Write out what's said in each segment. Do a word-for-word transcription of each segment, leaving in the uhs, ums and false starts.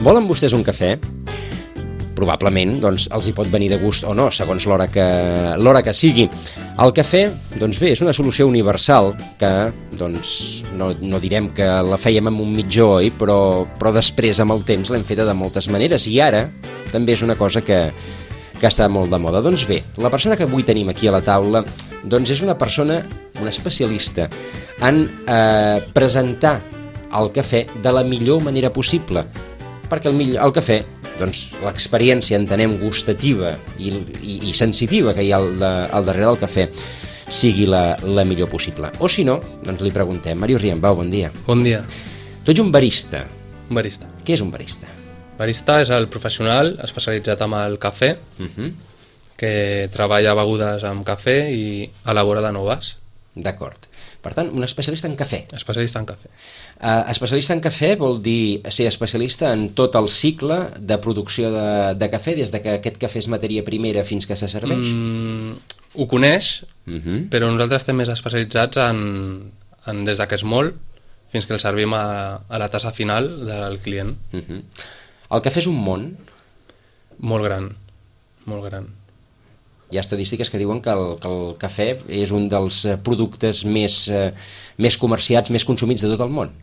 Volen vostès un cafè? Probablement doncs, els hi pot venir de gust o no, segons l'hora que, l'hora que sigui. El cafè, doncs bé, és una solució universal que, doncs, no, no direm que la fèiem amb un mitjó, oi? Però, però després, amb el temps, l'hem feta de moltes maneres i ara també és una cosa que, que està molt de moda. Doncs bé, la persona que avui tenim aquí a la taula doncs és una persona, una especialista en eh, presentar el cafè de la millor manera possible, perquè el, millor, el cafè, doncs l'experiència, entenem, gustativa i, i, i sensitiva que hi ha al, de, al darrere del cafè sigui la, la millor possible. O si no, doncs li preguntem. Màrius Riambau, bon dia. Bon dia. Tu ets un barista. Un barista. Què és un barista? Barista és el professional especialitzat en el cafè, uh-huh. que treballa begudes amb cafè i elabora de noves. D'acord. Per tant, un especialista en cafè. Especialista en cafè. Uh, especialista en cafè vol dir ser especialista en tot el cicle de producció de, de cafè, des de que aquest cafè és matèria primera fins que se serveix? Mm, ho coneix, uh-huh. però nosaltres estem més especialitzats en, en des de que és molt fins que el servim a, a la tassa final del client. Uh-huh. El cafè és un món? Molt gran, molt gran. Hi ha estadístiques que diuen que el, que el cafè és un dels productes més, eh, més comerciats, més consumits de tot el món.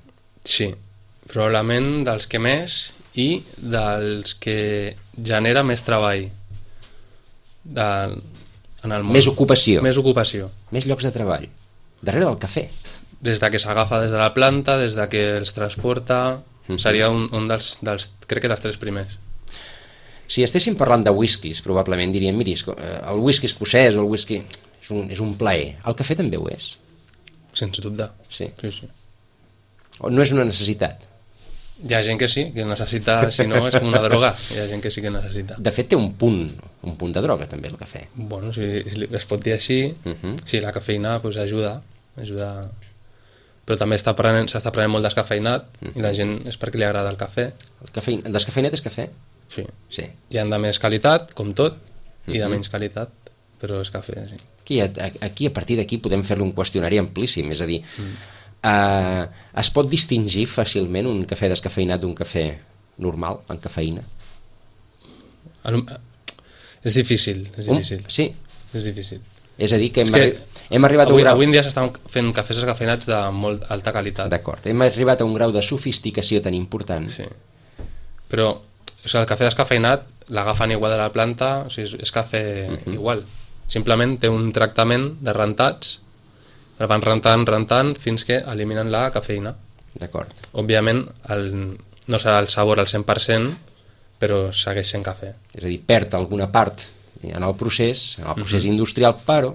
Sí, probablement dels que més i dels que genera més treball de, en el món. Més ocupació. Més ocupació. Més llocs de treball. Darrere del cafè. Des de que s'agafa des de la planta, des de que els transporta, uh-huh. seria un, un dels, dels, crec que dels tres primers. Si estéssim parlant de whiskies, probablement diríem, miri, el whisky escocès o el whisky és un, és un plaer. El cafè també ho és? Sense dubte. Sí. Sí, sí. O no és una necessitat? Hi ha gent que sí, que necessita, si no és com una droga. Hi ha gent que sí que necessita. De fet, té un punt, un punt de droga també el cafè. Bueno, si, si es pot dir així, uh-huh. sí, la cafeïna pues, ajuda, ajuda, però també s'està prenent, s'està prenent molt descafeïnat uh-huh. i la gent és perquè li agrada el cafè. El cafè, descafeïnat és cafè? Sí. sí. Hi ha de més qualitat, com tot, i de menys qualitat, però és cafè, sí. Aquí, aquí a partir d'aquí podem fer-li un qüestionari amplíssim, és a dir, mm. uh, es pot distingir fàcilment un cafè descafeïnat d'un cafè normal, amb cafeïna? És difícil, és difícil. Um, sí? És difícil. És a dir, que hem, que arri hem arribat avui, a un grau... Avui en dia s'estan fent cafès descafeïnats de molt alta qualitat. D'acord, hem arribat a un grau de sofisticació tan important. Sí, però o sigui, el cafè descafeïnat l'agafen igual de la planta, o sigui, és, és cafè uh-huh. igual. Simplement té un tractament de rentats, el van rentant, rentant, fins que eliminen la cafeïna. D'acord. Òbviament, el, no serà el sabor al cent per cent, però segueix sent cafè. És a dir, perd alguna part en el procés, en el procés uh-huh. industrial, però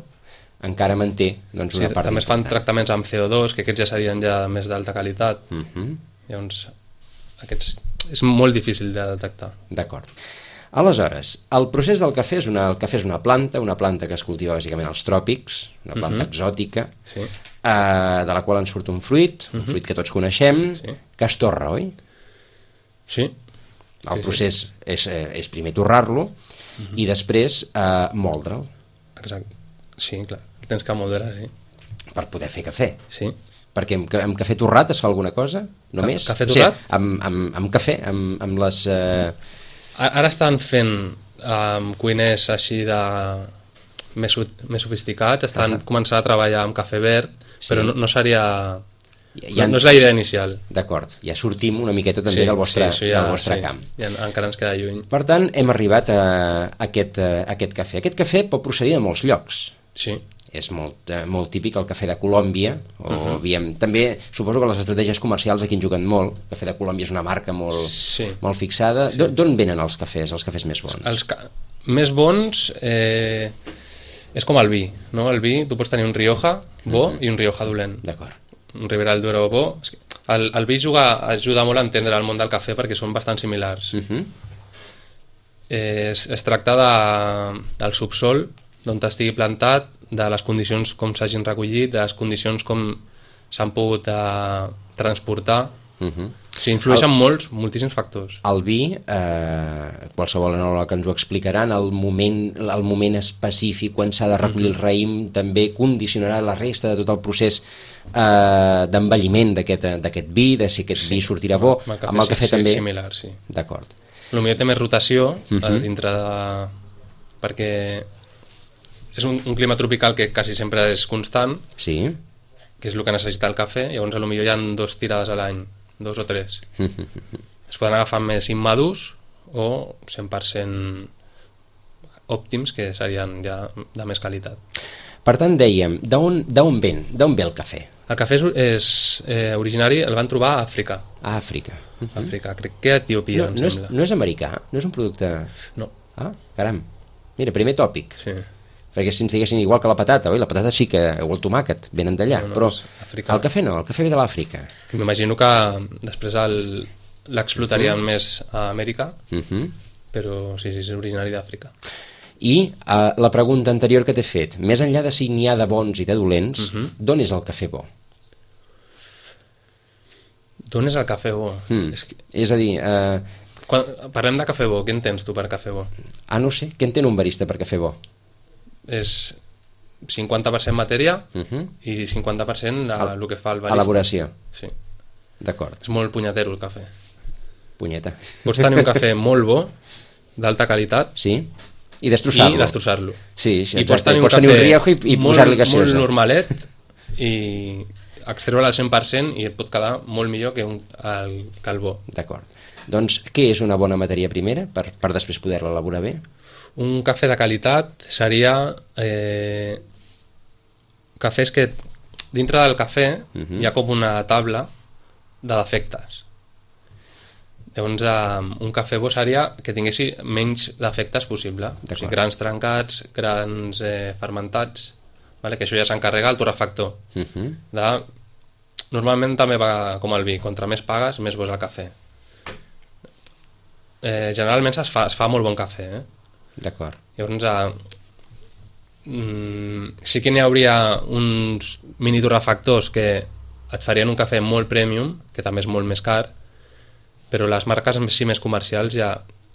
encara manté doncs, una sí, part també es fan tractaments amb C O dos, que aquests ja serien ja més d'alta qualitat. Uh-huh. Llavors, aquests és molt difícil de detectar. D'acord. Aleshores, el procés del cafè és una, el cafè és una planta, una planta que es cultiva bàsicament als tròpics, una planta uh-huh. exòtica, sí. eh, de la qual en surt un fruit, un uh-huh. fruit que tots coneixem, sí. que es torra, oi? Sí. El sí, procés sí. És, és primer torrar-lo uh-huh. i després eh, moldre'l. Exacte. Sí, clar. Tens que moldre, sí. Per poder fer cafè. Sí. Perquè amb, amb cafè torrat es fa alguna cosa? Només? Cafè torrat? O sigui, amb, amb, amb cafè, amb, amb les... Eh... Ara estan fent um, cuiners així de més, més sofisticats, estan uh -huh. començant a treballar amb cafè verd, sí. però no, no seria... Ja, no, no és la idea inicial. D'acord, ja sortim una miqueta també sí, del vostre, sí, ja, del vostre sí. camp. Ja, encara ens queda lluny. Per tant, hem arribat a aquest, a aquest cafè. Aquest cafè pot procedir de molts llocs. Sí. És molt, eh, molt típic el cafè de Colòmbia, o uh-huh. aviam, també suposo que les estratègies comercials aquí en juguen molt. El cafè de Colòmbia és una marca molt, sí. molt fixada. Sí. D'on venen els cafès, els cafès més bons? Els ca més bons eh, és com el vi, no? El vi, tu pots tenir un Rioja bo uh-huh. i un Rioja dolent. D'acord. Un Ribera del Duero bo. El, el vi juga, ajuda molt a entendre el món del cafè perquè són bastant similars. Uh-huh. eh, es, es tracta de, del subsol d'on estigui plantat, de les condicions com s'hagin recollit, de les condicions com s'han pogut eh, transportar Uh -huh. O sigui, influeixen el, molts, moltíssims factors. El vi, eh, qualsevol enòleg que ens ho explicaran, el moment, el moment específic quan s'ha de recollir uh -huh. el raïm també condicionarà la resta de tot el procés eh, d'envelliment d'aquest vi, de si aquest sí. vi sortirà bo. Amb el cafè, amb el cafè sí, també... similar, sí. D'acord. Potser té més rotació uh Uh-huh. dintre de... perquè és un, un clima tropical que quasi sempre és constant, Sí. que és el que necessita el cafè, llavors potser hi ha dos tirades a l'any, dos o tres. Es poden agafar més immadurs o cent per cent òptims, que serien ja de més qualitat. Per tant, dèiem, d'on d'on ven? D'on ve el cafè? El cafè és, és eh, originari, el van trobar a Àfrica. A Àfrica. Uh-huh. Àfrica, crec que a Etiòpia, No, em no, és, sembla. no és americà? No és un producte... No, Ah, caram. Mira, primer tòpic. sí. Perquè si ens diguessin igual que la patata, oi? La patata sí que, o el tomàquet, venen d'allà, No, no, però és africà. el cafè no, el cafè ve de l'Àfrica. Que m'imagino que després el- l'explotarien Uh-huh. més a Amèrica, Uh -huh. però sí, sí, és originari d'Àfrica. I uh, la pregunta anterior que t'he fet, més enllà de si n'hi ha de bons i de dolents, Uh -huh. d'on és el cafè bo? D'on és el cafè bo? Mm. És que, És a dir, uh, quan parlem de cafè bo, què entens tu per cafè bo? ah, no ho sé, què entén un barista per cafè bo? És cinquanta per cent matèria Uh -huh. i cinquanta per cent a, el que fa el barista. Elaboració. Sí. D'acord, És molt punyetero el cafè. punyeta. Pots tenir un cafè molt bo, d'alta qualitat, Sí? I destrossar-lo. i destrossar-lo. Sí, sí, I pots exacte. tenir un Pots cafè tenir un riojo i, i molt, posar-li gaseosa. molt normalet i extreure'l al cent per cent i et pot quedar molt millor que, un, el, que el bo. D'acord. Doncs què és una bona matèria primera per, per després poder-la elaborar bé? Un cafè de qualitat seria eh, cafès que dintre del cafè Mhm. hi ha com una taula de defectes. Llavors eh, un cafè bo seria que tinguessi menys defectes possible, o sigui, grans trencats, grans eh, fermentats, vale? Que això ja s'encarrega el torrefactor. Uh -huh. De... Normalment també va com el vi, contra més pagues més bo és el cafè. Eh, generalment es fa, es fa molt bon cafè, eh? D'acord. Llavors, eh, mm, sí que n'hi hauria uns mini torrefactors que et farien un cafè molt premium, que també és molt més car, però les marques sí més comercials ja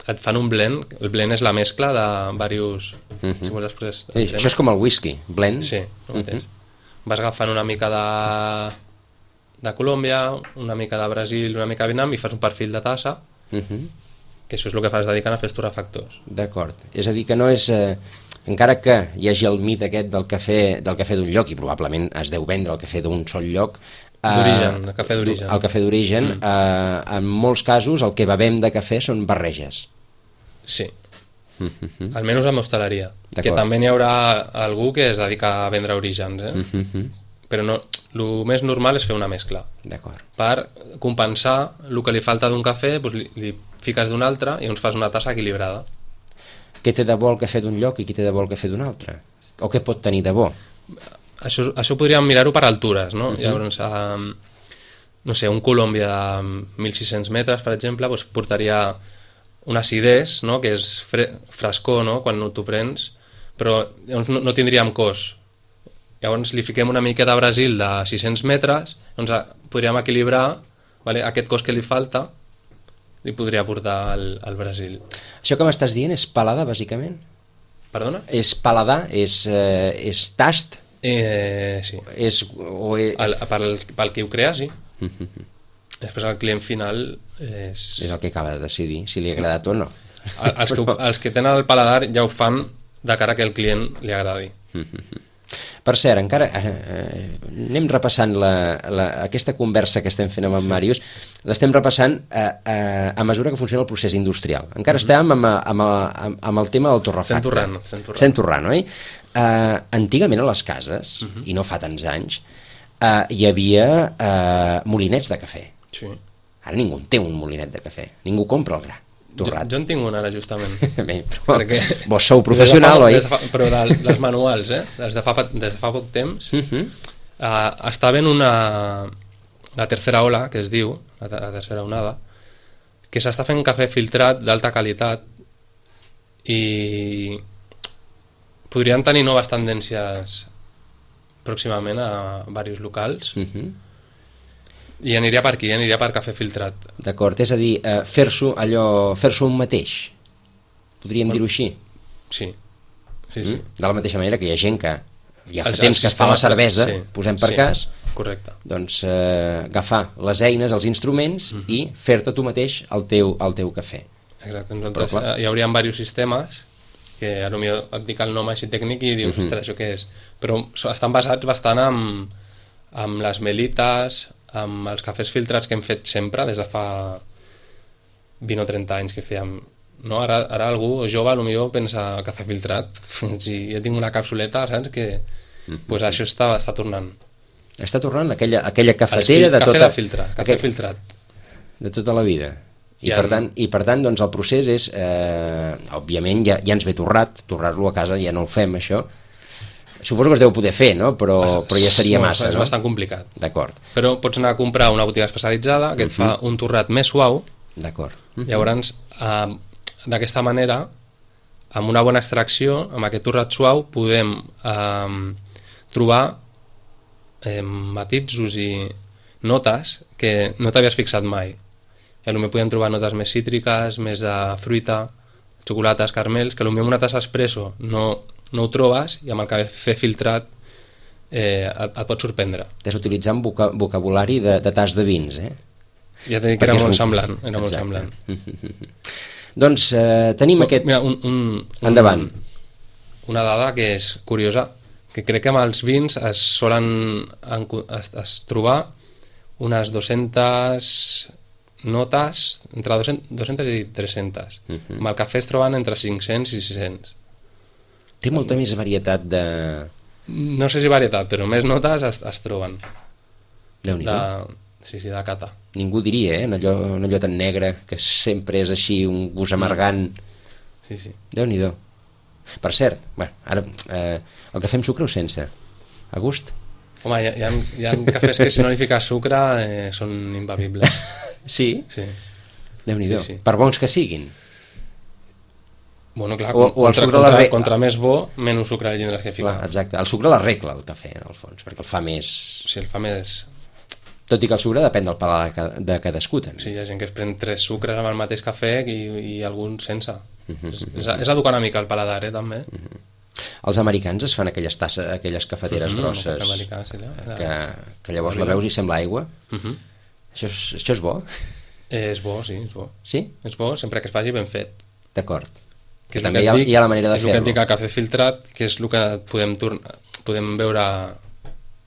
et fan un blend. El blend és la mescla de diversos... Mhm. Si vols després... Sí, això és com el whisky, blend. Sí, el mateix. Vas agafant una mica de, de Colòmbia, una mica de Brasil, una mica de Vietnam i fas un perfil de tassa, Uh -huh. que això és el que fas dedicant a fer els torrefactors. D'acord. És a dir, que no és... Eh, encara que hi hagi el mit aquest del cafè del cafè d'un lloc, i probablement es deu vendre el cafè d'un sol lloc... Eh, D'origen, el cafè d'origen. El cafè d'origen, Mm. eh, en molts casos el que bevem de cafè són barreges. Sí, Uh -huh. almenys amb hostaleria. D'acord. Que també n'hi haurà algú que es dedica a vendre orígens, eh? Uh -huh. Però no, el més normal és fer una mescla. D'acord. Per compensar el que li falta d'un cafè, doncs li, li fiques d'un altre i llavors fas una tassa equilibrada. Què té de bo el cafè d'un lloc i què té de bo el cafè d'un altre? O què pot tenir de bo? Això, això podríem mirar-ho per altures, no? Uh -huh. Llavors, um, no sé, un Colòmbia de mil sis-cents metres, per exemple, doncs portaria una acidès, no? Que és fre frescor, no? Quan t'ho prens, però llavors no, no tindríem cos. Llavors li fiquem una mica de Brasil de sis-cents metres, doncs podríem equilibrar, vale? Aquest cos que li falta li podria portar al, al Brasil. Això que m'estàs dient és palada, bàsicament? Perdona? És paladar? És, eh, és tast? Eh, sí. És, o és... El, pel, pel qui ho crea, sí. Uh -huh. Després el client final és... És el que acaba de decidir, si li ha agradat o no. El, els, que, ho- els que tenen el paladar ja ho fan de cara que el client li agradi. Uh -huh. Per cert, encara eh, eh, anem repassant la, la, aquesta conversa que estem fent amb en sí. Màrius, l'estem repassant eh, eh, a mesura que funciona el procés industrial. Encara uh -huh. estem amb, amb, amb, amb el tema del torrefacte. Estem torrant, estem torrant. Estem torrant, oi? Eh, antigament a les cases, uh -huh. i no fa tants anys, eh, hi havia eh, molinets de cafè. Sí. Ara ningú en té un molinet de cafè, ningú compra el gra torrat. Jo, jo en tinc un ara, justament. Bé, però Perquè- vos sou professional, Des de fa- oi? des de fa- però de, les manuals, eh? Des de fa, des de fa poc temps, Uh -huh. uh, estava en una... la tercera ola, que es diu, la, la tercera onada, que s'està fent cafè filtrat d'alta qualitat i podrien tenir noves tendències pròximament a diversos locals. Uh -huh. I aniria per aquí, aniria per cafè filtrat. D'acord, és a dir, eh, fer-s'ho allò, fer-s'ho un mateix. Podríem dir-ho així? Sí, sí, sí. Mm? De la mateixa manera que hi ha gent que ja fa El- el temps que es fa la sistema- cervesa, sí, posem per sí, cas, correcte. doncs eh, agafar les eines, els instruments Mhm. i fer-te tu mateix el teu, el teu cafè. Exacte, nosaltres Però, clar. eh, hi hauria diversos sistemes que a lo millor et dic el nom així tècnic i dius, Mhm. ostres, això què és? Però so- estan basats bastant en, en les melites, amb els cafès filtrats que hem fet sempre, des de fa vint o trenta anys que fèiem. No? Ara, ara algú jove a lo millor pensa cafè filtrat. Si jo tinc una capsuleta, saps? Que Mhm. pues això està, està tornant. Està tornant aquella, aquella Els cafetera fil- de cafè tota... de filtre, cafè aquell- filtrat. de tota la vida. I, I per en- tant, i per tant doncs el procés és, eh, òbviament ja, ja ens ve torrat, torrar-lo a casa ja no ho fem això, suposo que es deu poder fer, no? però, però ja seria No, massa, és no? bastant complicat. D'acord, Però pots anar a comprar una botiga especialitzada que et fa un torrat més suau. d'acord. Llavors, eh, d'aquesta manera, amb una bona extracció, amb aquest torrat suau, podem eh, trobar eh, matisos i notes que no t'havies fixat mai. I potser podem trobar notes més cítriques, més de fruita, xocolates, caramels, que potser amb una tassa espresso no, no ho trobes i amb el cafè filtrat eh, et, et pot sorprendre. Estàs utilitzant voca vocabulari de, de tas de vins, eh? Ja t'he dit que Perquè era és molt un- semblant. Era molt Exacte. semblant. Doncs eh, tenim aquest... Mira, un, un, un, Endavant. Una dada que és curiosa, que crec que amb els vins es solen encu- es, es trobar unes dues-centes notes, entre dues-centes i tres-centes. Mhm. Amb el cafè es troben entre cinc-cents i sis-cents. Té molta més varietat de... No sé si varietat, però més notes es, es troben. Déu-n'hi-do. De, sí, sí, de cata. Ningú diria, eh? En allò, en allò tan negre, que sempre és així, un gust amargant. Sí, sí. Déu-n'hi-do. Per cert, bueno, ara, eh, el cafè amb sucre o sense? A gust? Home, hi ha, hi ha, hi ha cafès que si no li fiques sucre eh, són imbevibles. Sí? Sí. Déu-n'hi-do. Sí, sí. Per bons que siguin. Bueno, clar, O- o el contra, sucre contra, la re- contra més bo, menys sucre li tindràs que ficar. Clar, exacte. El sucre l'arregla, el cafè, en el fons, perquè el fa més... Si el fa més... Tot i que el sucre depèn del paladar de ca- de cadascú, també. Sí, hi ha gent que es pren tres sucres amb el mateix cafè i, i alguns sense. és, és, és educar una mica el paladar, eh, també. Els americans es fan aquelles tasses, aquelles cafeteres Mhm, grosses, el cafè americà, sí, la- la- que, que llavors la veus i sembla aigua. Mhm. Això és, això és bo? Eh, és bo, sí, és bo. Sí? És bo sempre que es faci ben fet. D'acord. Que I és el també que hi ha, et dic- hi ha la manera de És el que et fer-lo. dic, el cafè filtrat, que és el que podem, tornar, podem veure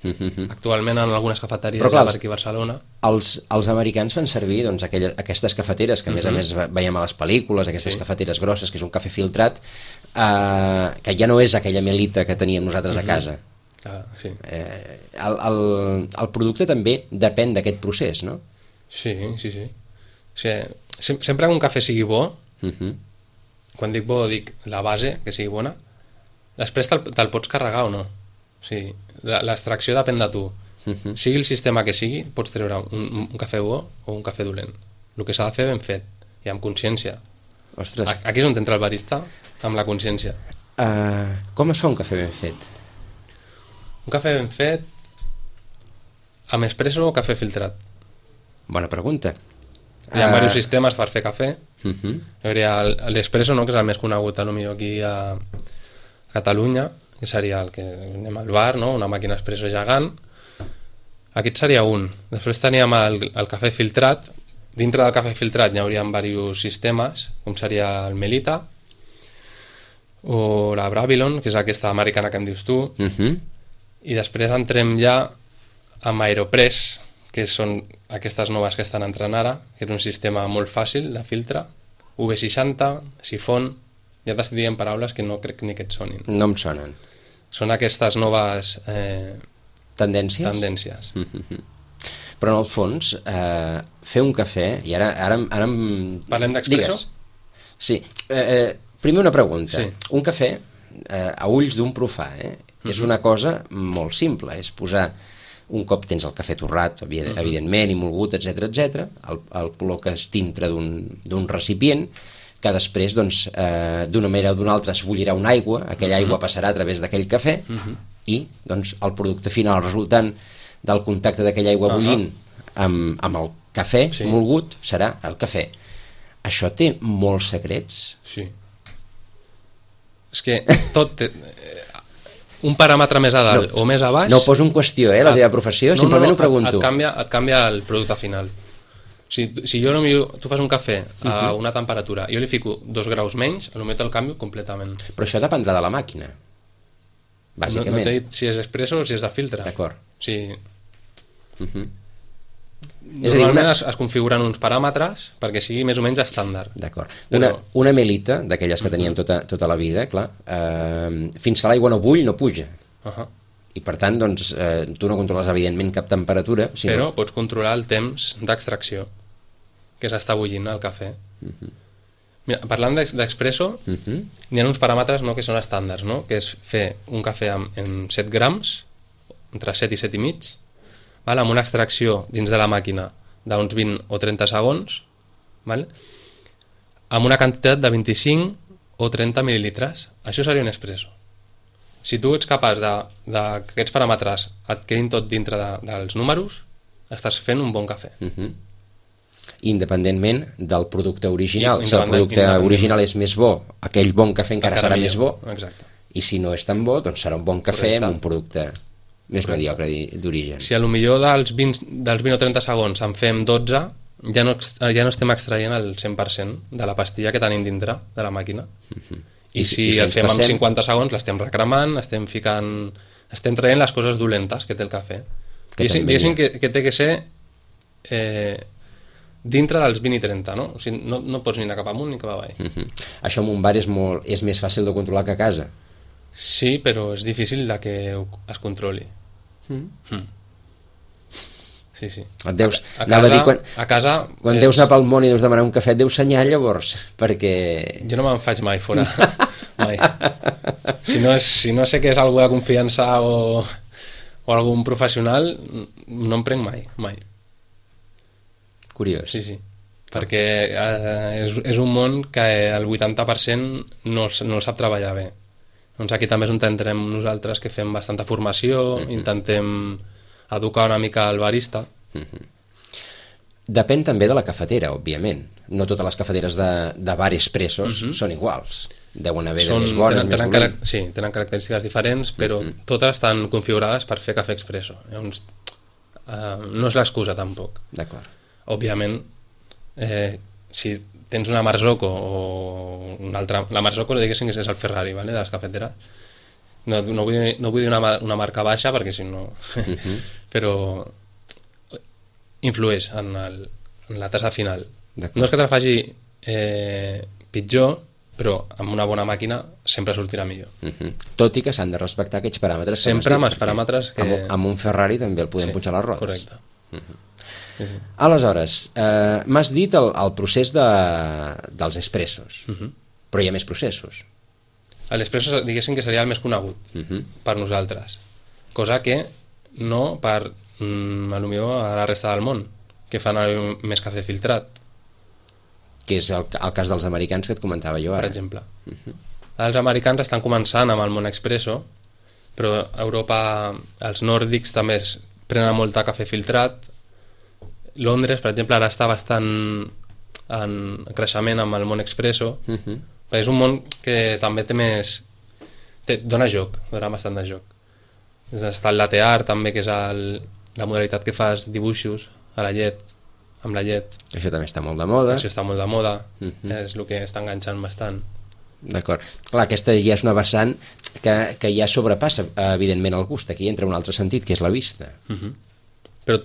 Mhm. actualment en algunes cafeteries Però clar, per aquí a Barcelona. Els, els americans fan servir doncs, aquelles, aquestes cafeteres que a més a Mhm. més ve- veiem a les pel·lícules, aquestes Sí. cafeteres grosses, que és un cafè filtrat, eh, que ja no és aquella melita que teníem nosaltres a Mhm. casa. Clar, sí. Eh, el, el, el producte també depèn d'aquest procés, no? Sí, sí, sí. O sigui, sem sempre que un cafè sigui bo, Mhm. quan dic bo dic la base, que sigui bona, després te'l te pots carregar o no. O sigui, la- l'extracció depèn de tu. Mhm. Sigui el sistema que sigui, pots treure un, un cafè bo o un cafè dolent. El que s'ha de fer ben fet i amb consciència. Ostres, A- Aquí és on entra el barista, amb la consciència. uh, com es fa un cafè ben fet? Un cafè ben fet amb espresso o cafè filtrat. Bona pregunta. Hi ha Ah. diversos sistemes per fer cafè. Mhm. Hi hauria el- l'espresso, no?, que és el més conegut a lo millor aquí a Catalunya, que seria el que anem al bar, no?, una màquina espresso gegant. Aquest seria un. Després teníem el, el cafè filtrat. Dintre del cafè filtrat hi hauria diversos sistemes, com seria el Melita o la Bravilon, que és aquesta americana que em dius tu, Mhm. i després entrem ja amb Aeropress, que són aquestes noves que estan entrant ara, que és un sistema molt fàcil de filtre, U V seixanta, sifon, ja t'estic dient paraules que no crec ni que et sonin. No em sonen. Són aquestes noves eh, Tendències? tendències. Mhm. Però en el fons, eh, fer un cafè, i ara... ara, ara em... Parlem d'expresso? Digues. Sí. Eh, eh, primer una pregunta. Sí. Un cafè, eh, a ulls d'un profà, eh, és Mhm. una cosa molt simple, és posar un cop tens el cafè torrat, evident, Mhm. evidentment, i molgut, etcètera, etcètera, el, el col·loques dintre d'un d'un recipient, que després, doncs, eh, d'una manera o d'una altra es bullirà una aigua, aquella aigua passarà a través d'aquell cafè, Mhm. i doncs, el producte final, el resultant del contacte d'aquella aigua Ahà. bullint amb, amb el cafè sí. molgut serà el cafè. Això té molts secrets? Sí. És que tot té... un paràmetre més a dalt no, o més a baix... No ho poso en qüestió, eh, la teva professió, no, simplement no, no, ho pregunto. Et, et, canvia, et canvia el producte final. Si, si jo no miro, tu fas un cafè a una temperatura i jo li fico dos graus menys, potser el canvio completament. Però això dependrà de la màquina, bàsicament. No, no t'he dit si és expresso o si és de filtre. D'acord. Sí. Uh-huh. Normalment una... es, es configuren uns paràmetres perquè sigui més o menys estàndard. D'acord. Una, Però... una melita, d'aquelles que teníem tota, tota la vida, clar, eh, fins que l'aigua no bull no puja. Uh-huh. I per tant, doncs, eh, tu no controles evidentment cap temperatura. Sinó... Però pots controlar el temps d'extracció que s'està bullint el cafè. Uh-huh. Mira, parlant d'expresso, uh-huh. n'hi ha uns paràmetres no, que són estàndards, no? Que és fer un cafè amb, amb set grams, entre set i set i mig, val? Amb una extracció dins de la màquina d'uns vint o trenta segons, val? Amb una quantitat de vint-i-cinc o trenta mil·lilitres. Això seria un expresso. Si tu ets capaç de, de que aquests paràmetres et quedin tot dintre de, dels números, estàs fent un bon cafè. Uh-huh. Independentment del producte original. Si el producte original és més bo, aquell bon cafè encara, encara serà millor. Més bo. Exacte. I si no és tan bo, doncs serà un bon cafè Correcte. Amb un producte més Correcte. Mediocre d'origen. Si a lo millor dels vint, dels vint o trenta segons en fem dotze, ja no, ja no estem extraient el cent per cent de la pastilla que tenim dintre de la màquina. Uh-huh. I, I si, i si el fem passem... amb cinquanta segons, l'estem recremant, estem ficant... estem traient les coses dolentes que té el cafè. Que diguéssim, diguéssim que, que té que ser eh, dintre dels vint i trenta, no? O sigui, no, no pots ni anar cap amunt ni cap avall. Uh-huh. Això en un bar és, molt, és més fàcil de controlar que a casa? Sí, però és difícil de que es controli. Mm. Mm. Sí, sí. Et deus, a, a casa, dir, quan, a casa quan és... deus anar pel món i deus demanar un cafè, et deus senyar llavors, perquè... Jo no me'n faig mai fora, mai. Si no, és, si no sé que és algú de confiança o, o algun professional, no em prenc mai, mai. Curiós. Sí, sí, perquè eh, és, és un món que el vuitanta per cent no, no el sap treballar bé. Doncs aquí també és on entrem nosaltres, que fem bastanta formació, uh-huh. intentem educar una mica el barista. Uh-huh. Depèn també de la cafetera, òbviament. No totes les cafeteres de, de bar expressos uh-huh. són iguals. Deuen haver són, de més bones, tenen, tenen més Sí, tenen característiques diferents, però uh-huh. totes estan configurades per fer cafè expresso. Llavors, uh, no és l'excusa, tampoc. D'acord. Òbviament, eh, si tens una Marzocco o una altra... La Marzocco, diguéssim, que és el Ferrari, vale, de les cafeteres. No, no, vull dir, no vull dir una, una marca baixa, perquè si no... Uh-huh. Però influeix en, el, en la tassa final. No és que te la faci eh, pitjor, però amb una bona màquina sempre sortirà millor. Uh-huh. Tot i que s'han de respectar aquests paràmetres. Sempre amb els paràmetres que... Amb, amb un Ferrari també el podem sí, punxar les rodes. Correcte. Uh-huh. Sí, sí. Aleshores, eh, m'has dit el, el procés de, dels expressos, uh-huh. però hi ha més processos. L'espresso, diguéssim que seria el més conegut uh-huh. per nosaltres, cosa que no per mm, a lo millor a la resta del món, que fan més cafè filtrat, que és el, el cas dels americans que et comentava jo ara. Per exemple. Uh-huh. Els americans estan començant amb el món expresso, però a Europa els nòrdics també es prenen molt de cafè filtrat. Londres, per exemple, ara està bastant en creixement amb el món expresso. Uh-huh. És un món que també té més... Té, dona joc, dona bastant de joc. Està el latte art, també, que és el, la modalitat que fas dibuixos a la llet, amb la llet. Això també està molt de moda. Això està molt de moda, uh-huh. és el que està enganxant bastant. D'acord. Clar, aquesta ja és una vessant que, que ja sobrepassa, evidentment, el gust. Aquí entra un altre sentit, que és la vista. Uh-huh. Però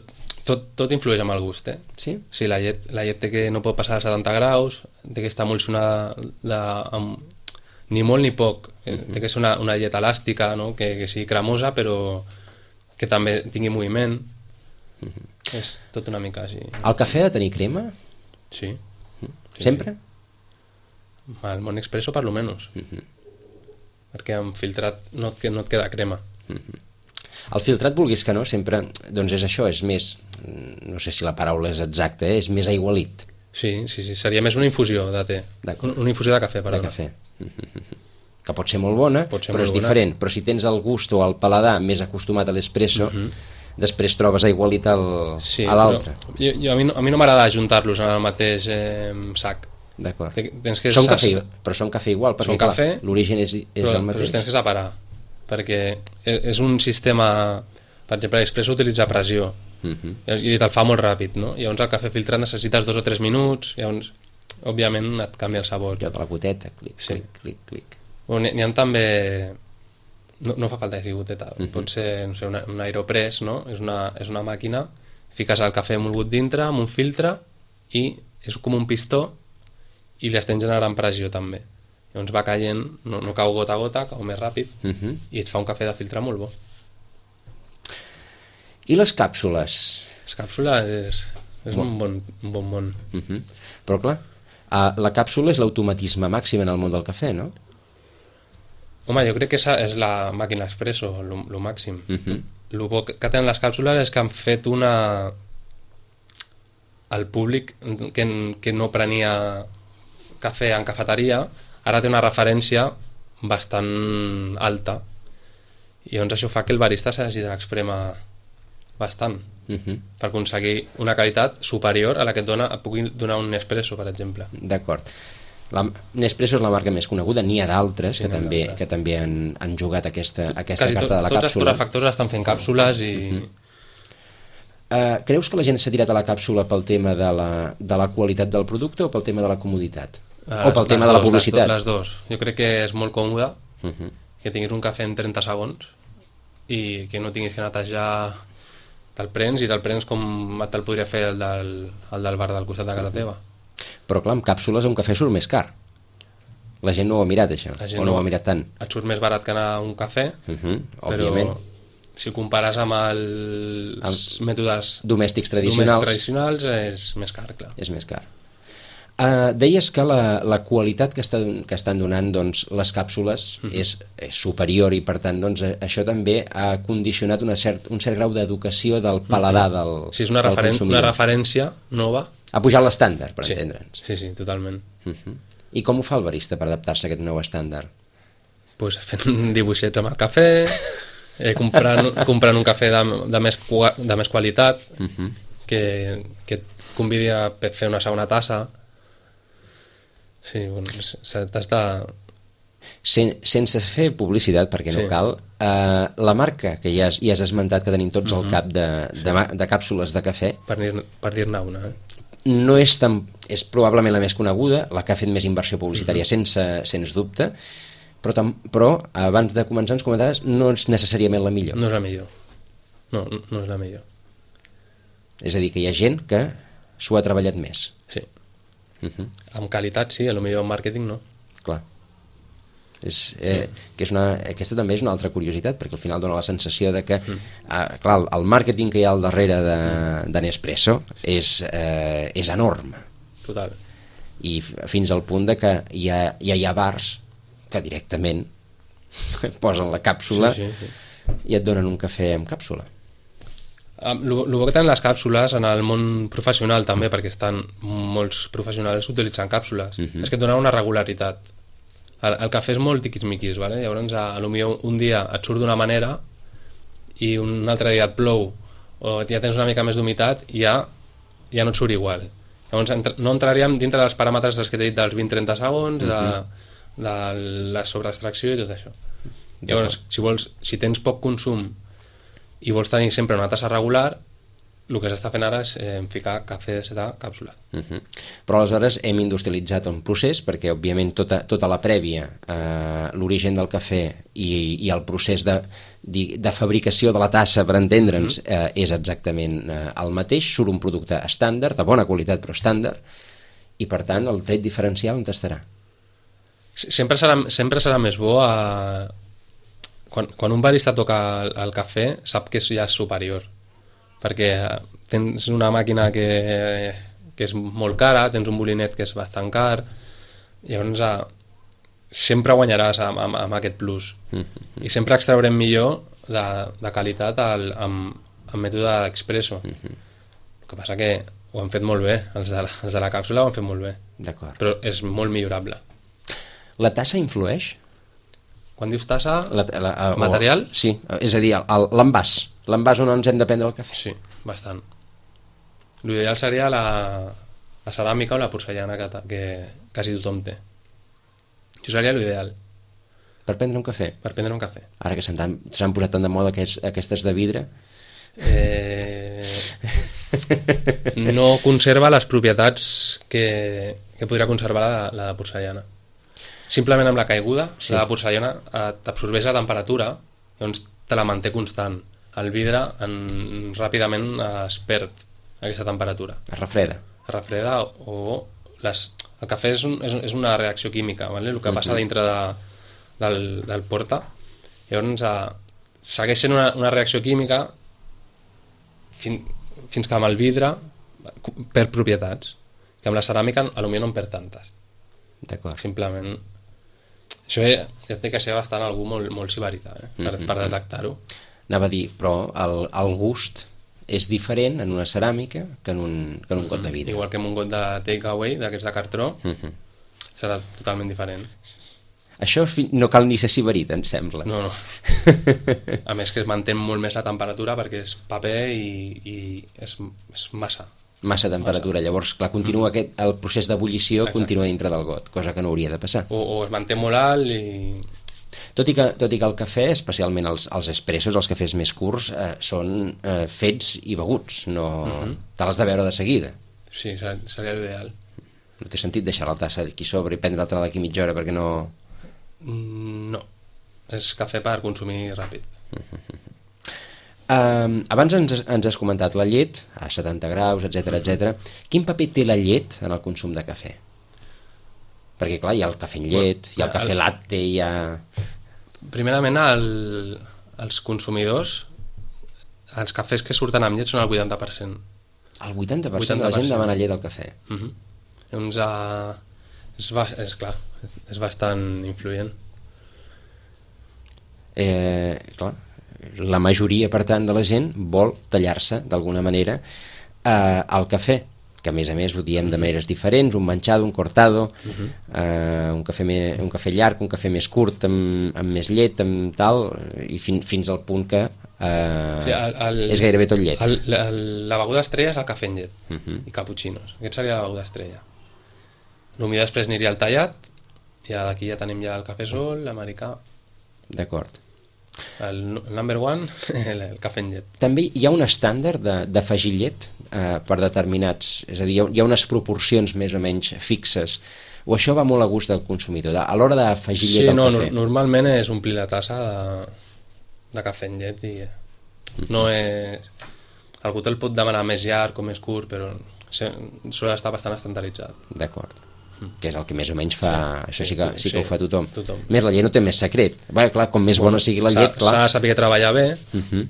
tot, tot influeix amb el gust, eh? Sí? Sí, la llet, la llet té que no pot passar als setanta graus, té que estar emulsionada de, amb, ni molt ni poc. Uh-huh. Té que ser una, una llet elàstica, no? que, que sigui cremosa, però que també tingui moviment. Uh-huh. És tot una mica així. El cafè ha de tenir crema? Sí. Uh-huh. Sempre? Sí. Al món expresso, per lo menys. Uh-huh. Perquè amb filtrat no et, no et queda crema. Uh-huh. El filtrat, vulguis que no, sempre, doncs és això, és més, no sé si la paraula és exacta, eh? És més aigualit. Sí, sí, sí, seria més una infusió de té. Una infusió de cafè, perdona. De cafè. Que pot ser molt bona, ser però molt és bona. Diferent. Però si tens el gust o el paladar més acostumat a l'espresso, uh-huh. després trobes aigualit al, sí, a l'altre. Jo, jo, a mi no, a mi no m'agrada ajuntar-los en el mateix eh, sac. D'acord. Tens que són cafè, però són cafè igual, perquè són cafè, l'origen és, és però, el mateix. Però tens que separar, perquè és un sistema, per exemple, l'expresso utilitza pressió, uh-huh. i te'l fa molt ràpid, no? Llavors el cafè filtrat necessites dos o tres minuts, llavors, òbviament, et canvia el sabor. Jo de la goteta, clic, sí. clic, clic, clic. N'hi ha també... No, no fa falta que sigui goteta, uh-huh. pot ser, no sé, una, un aeropress, no? És una, és una màquina, fiques el cafè molgut dintre, amb un filtre, i és com un pistó, i li estem generant pressió també. Llavors va caient, no, no cau gota a gota, cau més ràpid, uh-huh. i et fa un cafè de filtre molt bo. I les càpsules? Les càpsules és, és bon. un, bon, un bon món. Uh-huh. Però clar, la càpsula és l'automatisme màxim en el món del cafè, no? Home, jo crec que és la màquina expresso, el màxim. Uh-huh. El bo que tenen les càpsules és que han fet una... El públic que, que no prenia cafè en cafeteria, ara té una referència bastant alta. I llavors això fa que el barista s'hagi d'expremar bastant uh-huh. per aconseguir una qualitat superior a la que et, dona, et pugui donar un Nespresso, per exemple. D'acord. La, Nespresso és la marca més coneguda, n'hi ha d'altres sí, que, també, que també han, han jugat aquesta, aquesta Quasi carta tot, de la tots càpsula. Tots els torrefactors estan fent càpsules i... Uh-huh. Uh, creus que la gent s'ha tirat a la càpsula pel tema de la, de la qualitat del producte o pel tema de la comoditat? Les, o pel tema dos, de la publicitat? Les, do, les dos. Jo crec que és molt còmode uh-huh. que tinguis un cafè en trenta segons i que no tinguis que netejar, te'l prens i te'l prens com te'l podria fer el del, el del bar del costat de casa uh-huh. teva. Però clar, amb càpsules un cafè surt més car. La gent no ho ha mirat, això, o no, no ho ha mirat tant. Et surt més barat que anar a un cafè, uh-huh. però òbviament. Si compares amb els el mètodes domèstics tradicionals, domèstics tradicionals és més car, clar. És més car. Uh, deies que la, la qualitat que, està, que estan donant doncs, les càpsules uh-huh. és, és superior i per tant doncs, això també ha condicionat una cert, un cert grau d'educació del paladar uh-huh. del, sí, és una, del referen consumidor. Una referència nova. Ha pujat l'estàndard, per sí. entendre'ns. Sí, sí, totalment. Uh-huh. I com ho fa el barista per adaptar-se a aquest nou estàndard? Pues fent dibuixets amb el cafè, eh, comprant, comprant un cafè de, de, més, de més qualitat, uh-huh. que, que et convidi a fer una segona tassa. Sí, bueno, t'has de... Sen, sense fer publicitat, perquè no sí. cal, eh, la marca que ja has, ja has esmentat que tenim tots uh-huh. al cap de, de, de, de càpsules de cafè, per dir-ne per dir-ne una, eh? no és, tan, és probablement la més coneguda, la que ha fet més inversió publicitària, uh-huh. sense, sens dubte, però, tam, però abans de començar ens comentaves, no és necessàriament la millor. No és la millor. No, no és la millor. És a dir, que hi ha gent que s'ho ha treballat més. Sí. Uh-huh. Amb qualitat sí, potser en màrqueting no. Clar. És, eh, sí. que és una, aquesta també és una altra curiositat, perquè al final dona la sensació de que mm. eh, clar, el màrqueting que hi ha al darrere de, de Nespresso sí. és, eh, és enorme. Total. I fins al punt de que hi ha, ja hi ha bars que directament posen la càpsula sí, sí, sí. i et donen un cafè amb càpsula. El bo que tenen les càpsules en el món professional també, perquè estan molts professionals utilitzant càpsules, uh-huh. és que et donen una regularitat. El, el cafè és molt tiquis-miquis, ¿vale? Llavors a, a lo millor un dia et surt d'una manera i un altre dia et plou o ja tens una mica més d'humitat i ja, ja no et surt igual. Llavors entra, no entraríem dintre dels paràmetres dels que t'he dit dels vint a trenta segons, uh-huh. de, de la sobreextracció i tot això. Llavors, si, vols, si tens poc consum i vols tenir sempre una tassa regular, el que s'està fent ara és eh, ficar cafè de càpsula. Uh-huh. Però aleshores hem industrialitzat un procés perquè òbviament tota, tota la prèvia, eh, l'origen del cafè i, i el procés de, de, de fabricació de la tassa, per entendre'ns, uh-huh. eh, és exactament eh, el mateix, surt un producte estàndard, de bona qualitat però estàndard, i per tant el tret diferencial on estarà? Sempre serà, sempre serà més bo a... Quan, quan un barista toca el, el cafè sap que ja és superior, perquè tens una màquina que, que és molt cara, tens un molinet que és bastant car, llavors a, sempre guanyaràs amb, amb, amb aquest plus. Mm-hmm. I sempre extraurem millor de, de qualitat al, amb, amb mètode expresso. Mm-hmm. El que passa que ho han fet molt bé, els de la, els de la càpsula ho han fet molt bé. D'acord. Però és molt millorable. La tassa influeix? Quan dius tassa, la, la, uh, material? O, sí, és a dir, l'envàs. l'envàs on ens hem de prendre el cafè. Sí, bastant. L'ideal seria la, la ceràmica o la porcellana que, que quasi tothom té. Això seria l'ideal. Per prendre un cafè? Per prendre un cafè. Ara que s'han posat tant de moda aquests, aquestes de vidre... Eh... no conserva les propietats que, que podria conservar la, la porcellana. Simplement amb la caiguda, sí. La porcellana t'absorbeix la temperatura, doncs te la manté constant. El vidre en, ràpidament es perd aquesta temperatura. Es refreda. Es refreda o... Les, el cafè és, un, és, és una reacció química, ¿vale? El que passa uh-huh. dintre de, del, del porta. Llavors eh, segueix sent una, una reacció química fin, fins que amb el vidre perd propietats, que amb la ceràmica potser no en perd tantes. D'acord. Simplement això ja té que ser bastant algú molt, molt sibarita, eh? per, mm-hmm. per detectar-ho. Anava a dir, però el, el gust és diferent en una ceràmica que en un, que en un got de vidre. Igual que en un got de takeaway, d'aquests de cartró, mm-hmm. serà totalment diferent. Això no cal ni ser sibarit, em sembla. No, no. A més que es manté molt més la temperatura perquè és paper i, i és, és massa. Massa temperatura. Massa. Llavors, clar, continua mm. aquest, el procés d'ebullició continua dintre del got, cosa que no hauria de passar. O, o es manté molt alt i... Tot i que, tot i que el cafè, especialment els, els espressos, els cafès més curts, eh, són eh, fets i beguts. No... Mm-hmm. Te l'has de veure de seguida. Sí, seria l'ideal. No té sentit deixar la tassa aquí sobre i prendre-te d'aquí mitja hora perquè no... No, és cafè per consumir ràpid. Um, abans ens, ens has comentat la llet a setanta graus, etcètera, etcètera. Quin paper té la llet en el consum de cafè? Perquè clar, hi ha el cafè en llet, hi ha el cafè el... latte, hi ha... Primerament, el, els consumidors, els cafès que surten amb llet són el vuitanta per cent. El vuitanta per cent de la gent demana llet al cafè. Uh-huh. Llavors, uh, és, és clar, és bastant influent. Eh, clar, la majoria, per tant, de la gent vol tallar-se, d'alguna manera, eh, el cafè, que a més a més ho diem de maneres diferents, un manchado, un cortado, uh-huh. eh, un, cafè me, un cafè llarg, un cafè més curt, amb, amb més llet, amb tal, i fin, fins al punt que eh, sí, el, el, és gairebé tot llet. El, el, la beguda estrella és el cafè en llet, uh-huh. i cappuccinos. Aquest seria la beguda estrella. El millor després aniria al tallat, i d'aquí ja tenim ja el cafè sol, l'americà. D'acord. El, el number one, el, el cafè en llet. També hi ha un estàndard d'afegir llet eh, per determinats, és a dir, hi ha unes proporcions més o menys fixes, o això va molt a gust del consumidor, a l'hora d'afegir llet sí, al no, cafè? Sí, normalment és omplir la tassa de, de cafè en llet i no és... Algú te'l pot demanar més llarg o més curt, però sol estar bastant estandarditzat. D'acord. Que és el que més o menys fa, sí, això sí que, sí que sí, ho fa tothom. tothom. Més la llet no té més secret. Bé, clar, com més bona sigui la llet, clar. S'ha de saber treballar bé, uh-huh.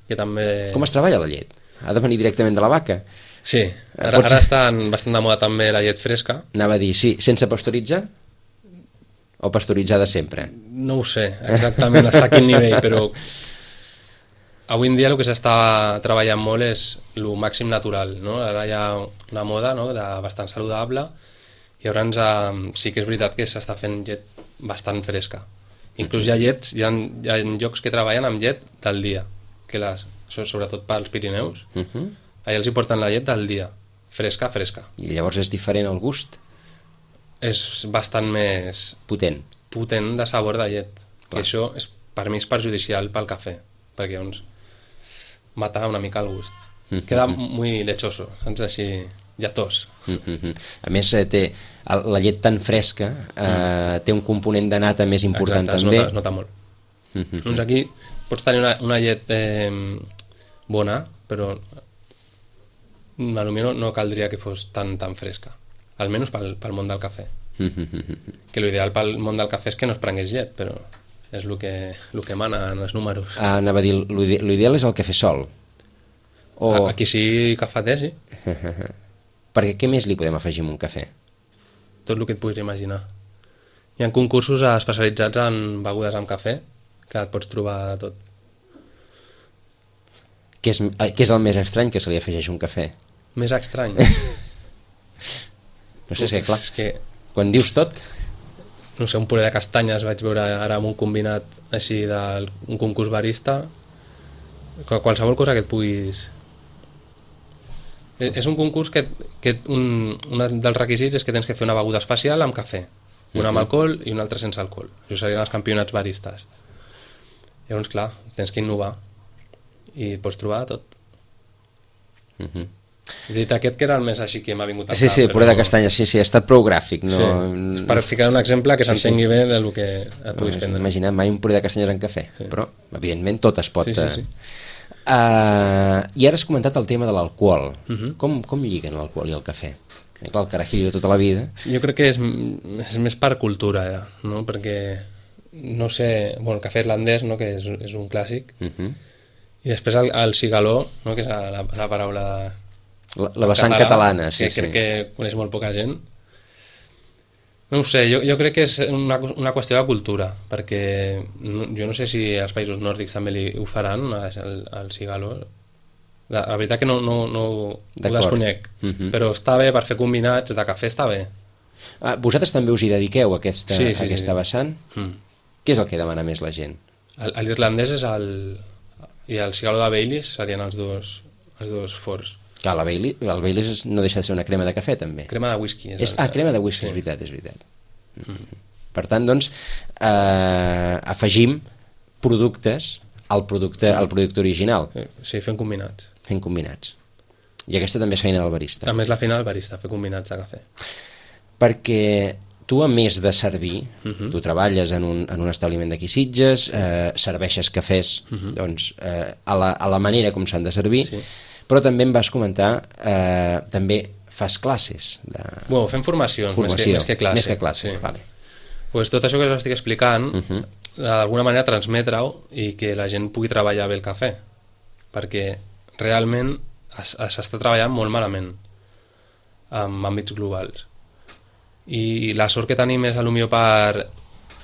que també... Com es treballa la llet? Ha de venir directament de la vaca? Sí, ara, ara està bastant de moda també la llet fresca. Anava a dir, sí, sense pasteuritzar? O pasteuritzada sempre? No ho sé, exactament, està a quin nivell, però avui en dia el que s'està treballant molt és el màxim natural, no? Ara hi ha una moda, no?, de bastant saludable. I llavors eh, sí que és veritat que s'està fent llet bastant fresca. Inclús hi ha llets, hi ha, hi ha llocs que treballen amb llet del dia, que les, sobretot pels Pirineus, uh-huh. allà els hi porten la llet del dia, fresca, fresca. I llavors és diferent el gust? És bastant més... Potent. Potent de sabor de llet. I això és, per mi és perjudicial pel cafè, perquè llavors mata una mica el gust. Uh-huh. Queda muy lechoso, saps? Així... lletós. Uh-huh. A més, eh, té la llet tan fresca, eh, mm. té un component de nata més important. Exacte, també. Es nota, es nota molt. Uh-huh. Doncs aquí pots tenir una, una llet eh, bona, però potser no, no caldria que fos tan tan fresca, almenys pel, pel món del cafè. Uh-huh. Que l'ideal pel món del cafè és que no es prengués llet, però és el que, el que mana en els números. Ah, anava a dir, l'ideal és el cafè sol. O... Aquí sí, cafeter, sí. Perquè què més li podem afegir en un cafè? Tot el que et puguis imaginar. Hi ha concursos especialitzats en begudes amb cafè, que et pots trobar de tot. Què és, què és el més estrany que se li afegeix un cafè? Més estrany? No sé, és que clar, és que... quan dius tot... No sé, un puré de castanyes vaig veure ara amb un combinat així d'un concurs barista, qualsevol cosa que et puguis... És un concurs que, que un, un dels requisits és que tens que fer una beguda especial amb cafè, una amb alcohol i una altra sense alcohol. Això serien els campionats baristes. Llavors, clar, tens que innovar i pots trobar tot. Uh -huh. He dit aquest que era el més així que m'ha vingut al sí, cap. Sí, sí, puré de castanya, sí, sí, ha estat prou gràfic. No... Sí, és per ficar un exemple que s'entengui sí, sí. bé del que et puguis prendre. Imagina't mai un puré de castanyes en cafè, sí. Però, evidentment, tot es pot... Sí, sí, sí. Uh, I ara has comentat el tema de l'alcohol. Uh -huh. com, com lliguen l'alcohol i el cafè? I clar, el carajillo de tota la vida... Jo crec que és, és més per cultura, ja, no? Perquè, no sé... Bueno, el cafè irlandès, no? Que és, és un clàssic. Uh -huh. I després el, el cigaló, no? Que és la, la paraula... La, la vessant catalana, sí, que sí. crec que coneix molt poca gent. No ho sé, jo, jo crec que és una, una qüestió de cultura, perquè no, jo no sé si als països nòrdics també li, ho faran, el, el cigaló. La, la veritat que no, no, no ho desconec, uh -huh. però està bé per fer combinats, de cafè està bé. Ah, vosaltres també us hi dediqueu a aquesta, sí, sí, a aquesta sí. vessant? Mm. Què és el que demana més la gent? L'irlandès és el... i el cigaló de Baileys serien els dos, els dos forts. Clar, la Baileys, el Baileys no deixa de ser una crema de cafè, també. Crema de whisky. És és, el, ah, crema de whisky, sí. És veritat, és veritat. Mm. Per tant, doncs, eh, afegim productes al producte, al producte original. Sí, fent combinats. Fent combinats. I aquesta també és feina del barista. També és la feina del barista, fer combinats de cafè. Perquè tu, a més de servir, uh -huh. tu treballes en un, en un establiment d'aquí Sitges, eh, serveixes cafès uh -huh. doncs, eh, a, la, a la manera com s'han de servir, sí. Però també em vas comentar, eh, també fas classes. De... Bueno, fem formacions, Formació, més, que, més que classes. Més que classes, sí. Vale. Pues tot això que us estic explicant, uh -huh. d'alguna manera transmetre-ho i que la gent pugui treballar bé el cafè, perquè realment s'està treballant molt malament en àmbits globals. I la sort que tenim és, potser per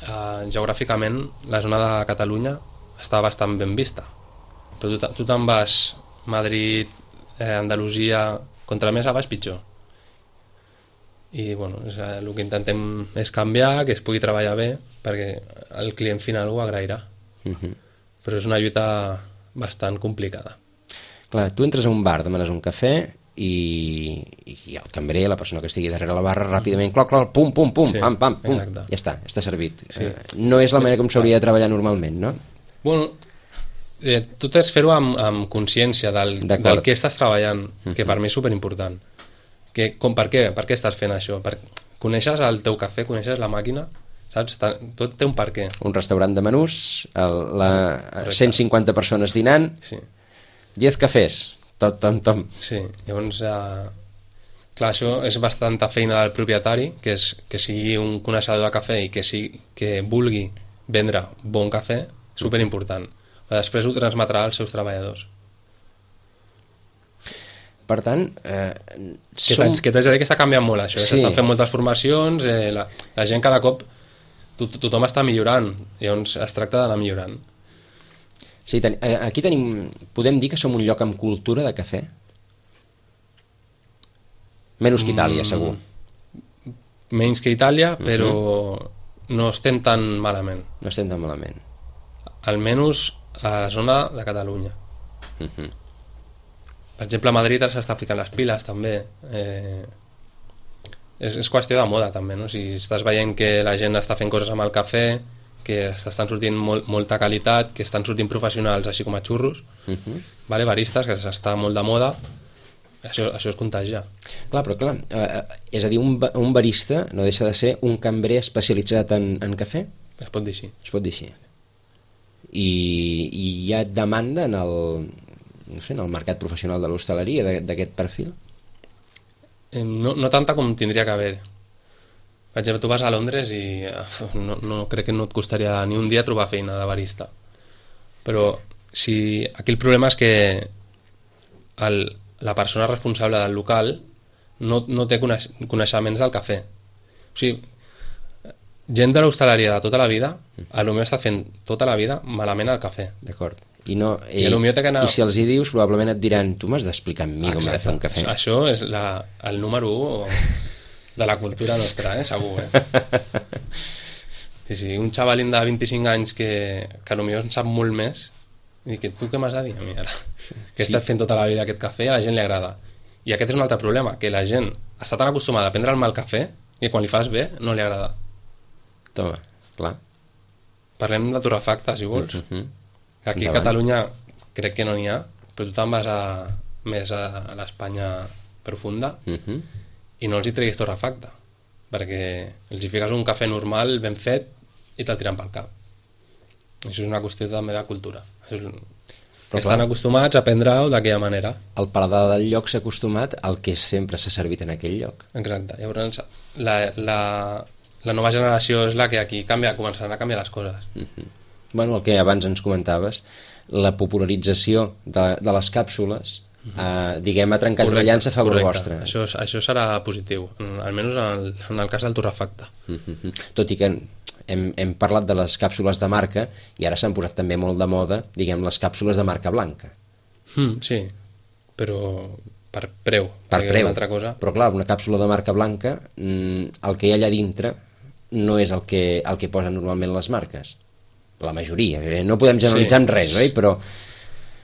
eh, geogràficament, la zona de Catalunya està bastant ben vista. Però tu, tu te'n vas Madrid, eh, Andalusia, contra més a baix pitjor. I bueno, és, el que intentem és canviar, que es pugui treballar bé, perquè el client final ho agrairà. Uh-huh. Però és una lluita bastant complicada. Clar, tu entres a un bar, demanes un cafè i, i el cambrer, la persona que estigui darrere la barra, ràpidament, cloc, cloc, pum, pum, pum, sí, pam, pam, pum, exacte. Ja està, està servit. Sí. Eh, no és la manera com s'hauria de treballar normalment, no? Bueno, eh, tu tens fer-ho amb, amb consciència del, del que estàs treballant, uh-huh. que per mi és superimportant. Que, com, per què? Per què estàs fent això? Per, coneixes el teu cafè, coneixes la màquina, saps? Tot té un per què. Un restaurant de menús, el, la, ah, cent cinquanta persones dinant, sí. diez cafès, tot, tom, tom. Sí, llavors, eh, clar, això és bastanta feina del propietari, que, és, que sigui un coneixedor de cafè i que, sigui, que vulgui vendre bon cafè, superimportant. Després ho transmetrà als seus treballadors. Per tant, eh, que som... t'haig de dir que està canviant molt això, sí. S'estan fent moltes formacions, eh, la, la gent cada cop to, tothom està millorant, llavors es tracta d'anar millorant. Sí, ten, aquí tenim, podem dir que som un lloc amb cultura de cafè? Menys que Itàlia, mm, segur. Menys que Itàlia, però uh-huh. no estem tan malament. No estem tan malament. Almenys a la zona de Catalunya. Uh-huh. Per exemple, a Madrid s'està ficant les piles, també. Eh, és, és qüestió de moda, també, no? Si estàs veient que la gent està fent coses amb el cafè, que estan sortint molt, molta qualitat, que estan sortint professionals així com a xurros, uh-huh. vale? Baristes, que s'està molt de moda, això, això es contagia. Clar, però clar, eh, és a dir, un, un barista no deixa de ser un cambrer especialitzat en, en cafè? Es pot dir així. Es pot dir així. I, i hi ha demanda en el, no sé, en el mercat professional de l'hostaleria d'aquest perfil? Eh, no, no tanta com tindria que haver. Per exemple, tu vas a Londres i no, no crec que no et costaria ni un dia trobar feina de barista. Però si, aquí el problema és que el, la persona responsable del local no, no té coneix, coneixements del cafè. O sigui, gent de l'hostaleria de tota la vida, a lo millor està fent tota la vida malament el cafè. D'acord. I, no, i, I, anar... i si els hi dius, probablement et diran, tu m'has d'explicar a mi com he de fer un cafè. Això és la, el número un de la cultura nostra, eh? Segur, eh? Sí, sí, un xavalín de vint-i-cinc anys que, que potser en sap molt més, I dic, tu què m'has de dir a mi ara? Que he estat fent tota la vida aquest cafè i a la gent li agrada. I aquest és un altre problema, que la gent està tan acostumada a prendre el mal cafè que quan li fas bé no li agrada. Toma, clar. Parlem de torrefacte, si vols. Uh -huh. Aquí a Catalunya crec que no n'hi ha, però tu te'n vas a, més a, a l'Espanya profunda uh -huh. i no els hi treguis torrefacte, perquè els hi fiques un cafè normal, ben fet, i te'l tiren pel cap. Això és una qüestió també de cultura. És... Però estan clar, acostumats a prendre-ho d'aquella manera. El paladar del lloc s'ha acostumat al que sempre s'ha servit en aquell lloc. Exacte. Llavors, la, la, la nova generació és la que aquí canvia, començaran a canviar les coses. Uh-huh. Bueno, el que abans ens comentaves, la popularització de, de les càpsules, uh-huh. eh, diguem, ha trencat una llança a favor vostre. Això, això serà positiu, almenys en el, en el cas del torrefacte. Uh-huh. Tot i que hem, hem parlat de les càpsules de marca i ara s'han posat també molt de moda, diguem, les càpsules de marca blanca. Mm, sí, però per preu. Per preu, una altra cosa. Però clar, una càpsula de marca blanca, el que hi ha allà dintre no és el que, el que posen normalment les marques. La majoria, no podem generalitzar sí. en res, oi? Però...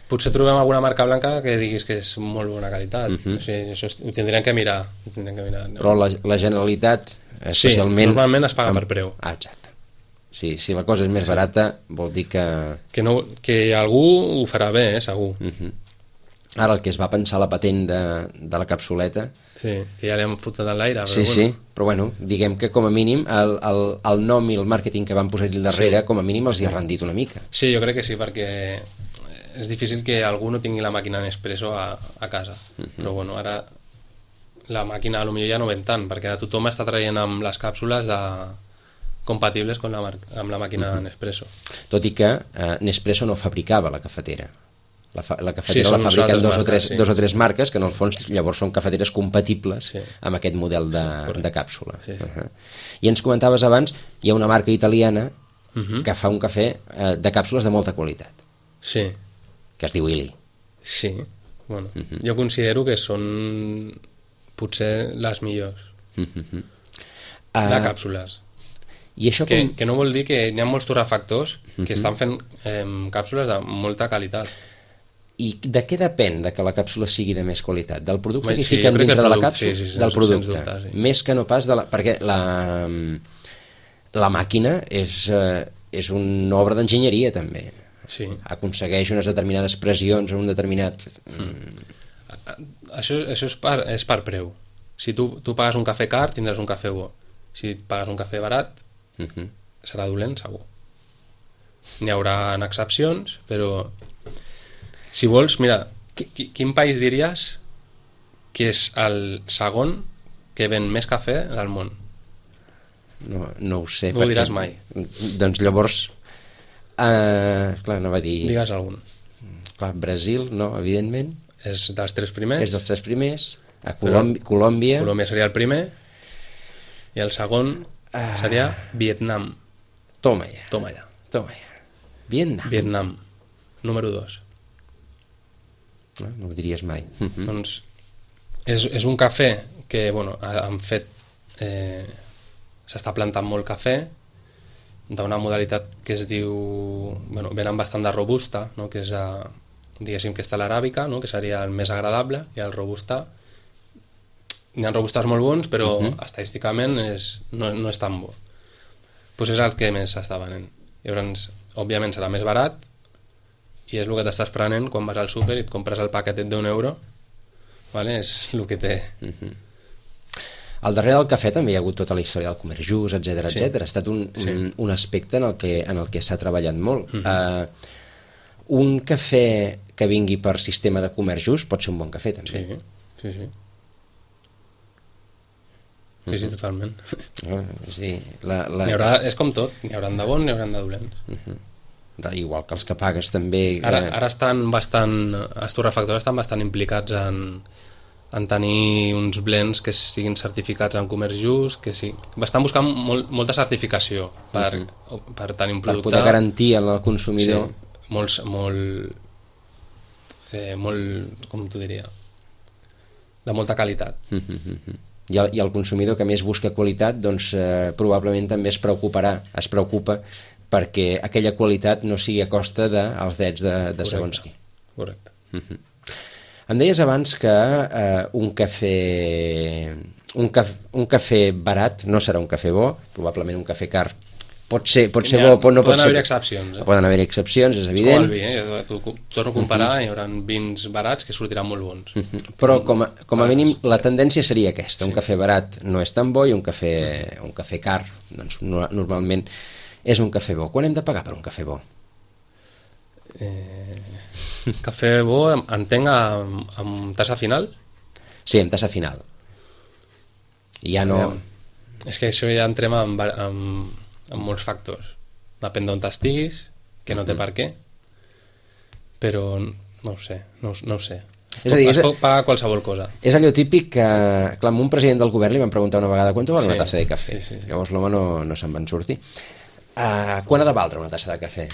Potser trobem alguna marca blanca que diguis que és molt bona qualitat. Uh-huh. O sigui, això ho tindrem que mirar. Ho tindrem que mirar no? Però la, la Generalitat, especialment... Sí, normalment es paga amb... per preu. Ah, exacte. Sí, si la cosa és més sí. barata, vol dir que... Que, no, que algú ho farà bé, eh, segur. Uh-huh. Ara el que es va pensar la patent de, de la capsuleta... Sí, que ja l'hem fotut en l'aire. Sí, bueno. sí, però bueno, diguem que com a mínim el, el, el nom i el màrqueting que van posar-hi darrere, sí. com a mínim els hi ha rendit una mica. Sí, jo crec que sí, perquè és difícil que algú no tingui la màquina Nespresso a, a casa. Uh-huh. Però bueno, ara la màquina potser ja no ven tant, perquè ara tothom està traient amb les càpsules de... compatibles amb la, amb la màquina uh-huh. Nespresso. Tot i que eh, Nespresso no fabricava la cafetera. La, fa, la cafetera sí, la fabriquen dos, marques, o tres, sí. dos o tres marques que en el fons llavors són cafeteres compatibles sí. amb aquest model de, sí, de càpsula. Sí, sí. Uh-huh. I ens comentaves abans, hi ha una marca italiana uh-huh. que fa un cafè eh, de càpsules de molta qualitat. Sí. Que es diu Illy. Sí. Bueno, uh-huh. jo considero que són potser les millors uh-huh. uh, de càpsules. I això que, com... que no vol dir que hi ha molts torrefactors uh-huh. que estan fent eh, càpsules de molta qualitat. I de què depèn de que la càpsula sigui de més qualitat? Del producte Bé, que sí, fiquen dintre de la càpsula? Sí, sí, sí, del producte. Dubtar, sí. Més que no pas de la... Perquè la, la màquina és, eh, és una obra d'enginyeria, també. Sí. Aconsegueix unes determinades pressions en un determinat... Mm. Això, això és, per, és per preu. Si tu, tu pagues un cafè car, tindràs un cafè bo. Si pagues un cafè barat, uh-huh. serà dolent, segur. N'hi haurà excepcions, però... Si vols, mira, qui, quin país diries que és el segon que ven més cafè del món? No, no ho sé. No ho diràs mai. Doncs llavors, uh, clar, no va dir... Digues algun. Clar, Brasil, no, evidentment. És dels tres primers. És dels tres primers. A Colòmbia... Colòmbia, Colòmbia seria el primer. I el segon uh, seria Vietnam. Toma ja. Toma ja. Toma ja. Vietnam. Vietnam. Número dos. No, no ho diries mai. Doncs és, és un cafè que, bueno, han fet... Eh, s'està plantant molt cafè d'una modalitat que es diu... Bueno, venen bastant de robusta, no? Que és, a, diguéssim, que està l'aràbica, no? Que seria el més agradable, i el robusta... N'hi ha robustes molt bons, però uh-huh. estadísticament és, no, no és tan bo. Pues és el que més s'està venent. Llavors, òbviament serà més barat, i és el que t'estàs prenent quan vas al súper i et compres el paquetet d'un euro, vale? És el que té. Uh-huh. Al darrere del cafè també hi ha hagut tota la història del comerç just, etcètera, sí. etcètera. Ha estat un, sí. un, un aspecte en el que, en el que s'ha treballat molt. Uh-huh. Uh, un cafè que vingui per sistema de comerç just pot ser un bon cafè, també. Sí, sí, sí. Sí, uh-huh. sí, totalment. Uh, és dir, la, la... N'hi haurà, és com tot, n'hi haurà de bons, n'hi haurà de dolents. Uh-huh. De, igual que els que pagues també... Ara, ara estan bastant... Els torrefactors estan bastant implicats en, en tenir uns blends que siguin certificats en comerç just, que sí. Estan buscant molt, molta certificació per, uh-huh. per tenir un producte... Per poder garantir al consumidor... Sí, molts, molt... Eh, molt... com t'ho diria? De molta qualitat. Uh-huh. I el, I el consumidor que més busca qualitat, doncs eh, probablement també es preocuparà, es preocupa perquè aquella qualitat no sigui a costa dels drets de, de Correcte. segons qui. Correcte. Uh-huh. Em deies abans que eh, un cafè un, caf, un cafè barat no serà un cafè bo, probablement un cafè car pot ser, pot ser Ja, bo, pot, no pot poden ser... haver excepcions. Eh? Poden haver excepcions, és És evident. com el vi, eh? Tu, torno a comparar, uh-huh. hi haurà vins barats que sortiran molt bons. Uh-huh. Però com a, com a mínim la tendència seria aquesta, un Sí. cafè barat no és tan bo i un cafè, un cafè car doncs, no, normalment és un cafè bo. Quan hem de pagar per un cafè bo? Eh, cafè bo, entenc, amb, amb tassa final? Sí, amb tassa final. Ja no... És que això ja entrem en, en, en molts factors. Depèn d'on estiguis, que no té per què, però no ho sé, no, no ho sé. És a dir, es és a- pot pagar qualsevol cosa. És allò típic que, clar, amb un president del govern li van preguntar una vegada quant val una Sí, tassa de cafè. sí, sí, sí. Llavors l'home no, no se'n van sortir. Uh, quan ha de valdre una tassa de cafè?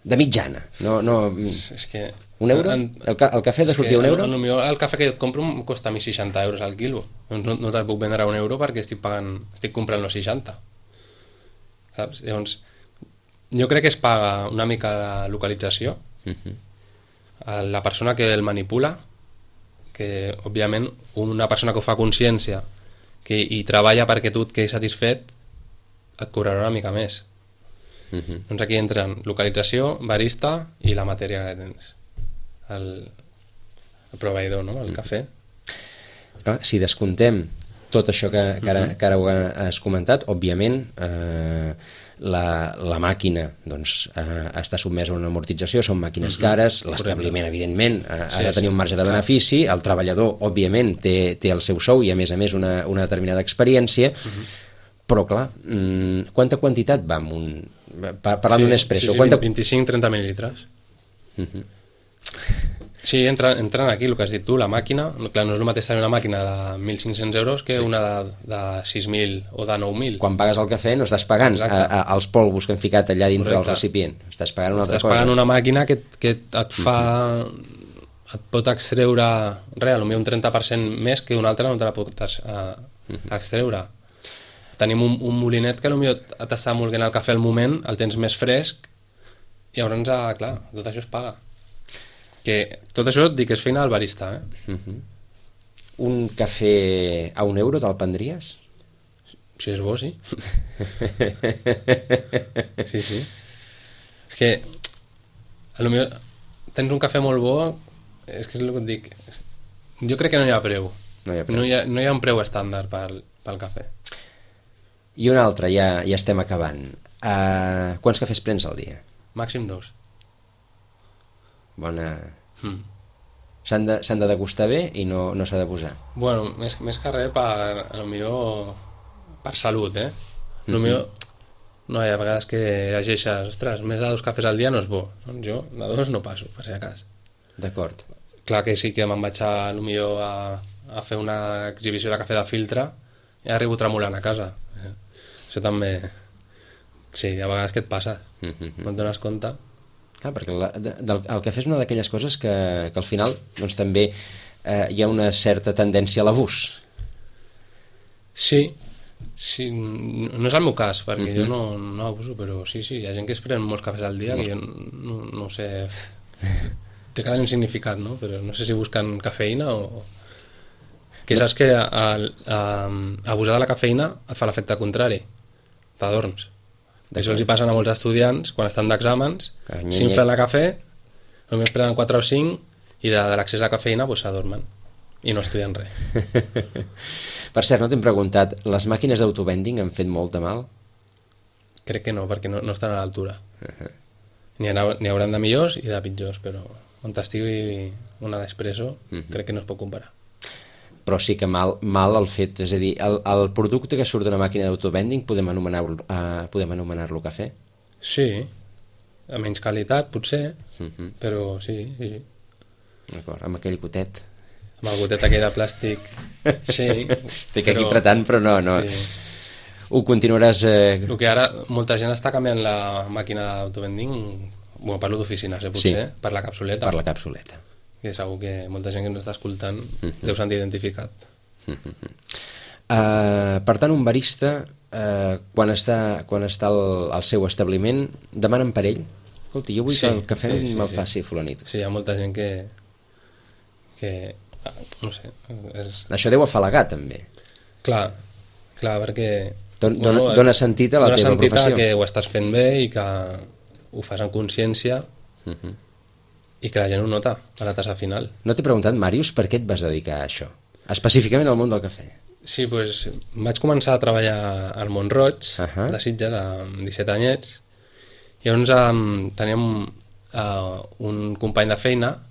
De mitjana. No, no... És que... Un euro? En, El, ca el cafè ha de és sortir que un euro? El, el, el cafè que jo et compro em costa a mi seixanta euros al quilo. Doncs no, no te'l puc vendre a un euro perquè estic pagant, estic comprant los seixanta. Saps? Llavors, jo crec que es paga una mica la localització, Uh-huh. a la persona que el manipula, que òbviament una persona que ho fa a consciència que hi treballa perquè tu et quedis satisfet et cobrarà una mica més. Uh-huh. Doncs aquí entren localització, barista i la matèria que tens, el, el proveïdor, no? El cafè. Clar, si descontem tot això que, que, ara, que ara ho has comentat, òbviament eh, la, la màquina doncs, eh, està sotmesa a una amortització, són màquines cares, l'establiment evidentment eh, ha Sí, de tenir sí, un marge de clar. benefici, el treballador òbviament té, té el seu sou i a més a més una, una determinada experiència, però clar, mm, quanta quantitat va amb un... pa- parlant d'un espresso, sí, sí, quanta... vint-i-cinc trenta mil·lilitres. Uh-huh. Sí, entren, entren aquí, el que has dit tu, la màquina. No, clar, no és el mateix tenir una màquina de mil cinc-cents euros que sí. una de, de sis mil o de nou mil. Quan pagues el cafè no estàs pagant a, a, als polvos que han ficat allà dintre Correcte. del recipient, estàs pagant una altra Estàs cosa. pagant una màquina que, que et fa... et pot extreure res, potser un trenta per cent més que una altra no te la pot uh, extreure. Tenim un, un molinet que potser t'està molguent el cafè al moment, el tens més fresc, i llavors, ah, clar, tot això es paga. Que tot això et dic que és feina del barista, eh? Uh-huh. Un cafè a un euro te'l prendries? Si és bo, sí. Sí, sí. És que a lo millor tens un cafè molt bo, és que és el que et dic. Jo crec que no hi ha preu. No hi ha preu. No hi ha, no hi ha un preu estàndard pel, pel cafè. I un altre, ja, ja estem acabant. Uh, quants cafès prens al dia? Màxim dos. Bona... Mm. S'han de, s'han de degustar bé i no, no s'ha de posar. Bueno, més, més que res per, a lo millor per salut, eh? A lo millor, no, hi ha vegades que llegeixes, ostres, més de dos cafès al dia no és bo. Doncs jo de dos no passo, per si a cas. D'acord. Clar que sí que me'n vaig a, a lo millor a, a fer una exhibició de cafè de filtre i arribo tremolant a casa. Eh? Això també... Sí, hi ha vegades que et passa, Uh-huh. no et dones compte. Clar, perquè la, de, del, el cafè és una d'aquelles coses que, que al final doncs, també eh, hi ha una certa tendència a l'abús. Sí, sí, no és el meu cas, perquè Uh-huh. jo no, no abuso, però sí, sí, hi ha gent que es pren molts cafès al dia, que jo no, no ho sé, té cada un significat, no? Però no sé si busquen cafeïna o... Que saps que a, a, a abusar de la cafeïna et fa l'efecte contrari, t'adorms. Això els hi passen a molts estudiants quan estan d'exàmens, Que nye, s'inflen nye. a cafè, només prenen quatre o cinc i de, de l'accés a cafeïna pues, s'adormen i no estudien res. Per cert, no t'hem preguntat, les màquines d'autovending han fet molt de mal? Crec que no, perquè no, no estan a l'altura. N'hi ha, n'hi hauran de millors i de pitjors, però on estigui una d'Espresso Mhm. crec que no es pot comparar. Però sí que mal, mal el fet, és a dir, el, el producte que surt d'una màquina d'autovending podem anomenar-lo uh, podem anomenar-lo cafè? Sí, a menys qualitat potser, Uh-huh. però sí, sí, sí. D'acord, amb aquell gotet. Amb el gotet aquell de plàstic, sí. Estic aquí apretant, però no, no. Sí. Ho continuaràs... Eh... El que ara molta gent està canviant la màquina d'autovending, bueno, parlo d'oficines, eh, potser, Sí. per la capsuleta. per la capsuleta. Que segur que molta gent que ens està escoltant Mhm. deu sentir identificat. Uh, per tant, un barista eh, quan està, quan està al, al seu establiment, demanen per ell? Escolta, jo vull sí, que el cafè sí, sí, me'l sí. faci fulanit. Sí, hi ha molta gent que... que no sé... És... Això deu afalagar, també. Clar, clar, perquè... Don, dona, bueno, dona sentit a la teva sentit professió. Dona sentit que ho estàs fent bé i que ho fas amb consciència uh -huh. i que la gent ho nota a la tassa final. No t'he preguntat, Màrius, per què et vas dedicar a això? Específicament al món del cafè. Sí, doncs vaig començar a treballar al Mont-roig, uh -huh. de Sitges, amb disset anyets, i llavors um, teníem uh, un company de feina,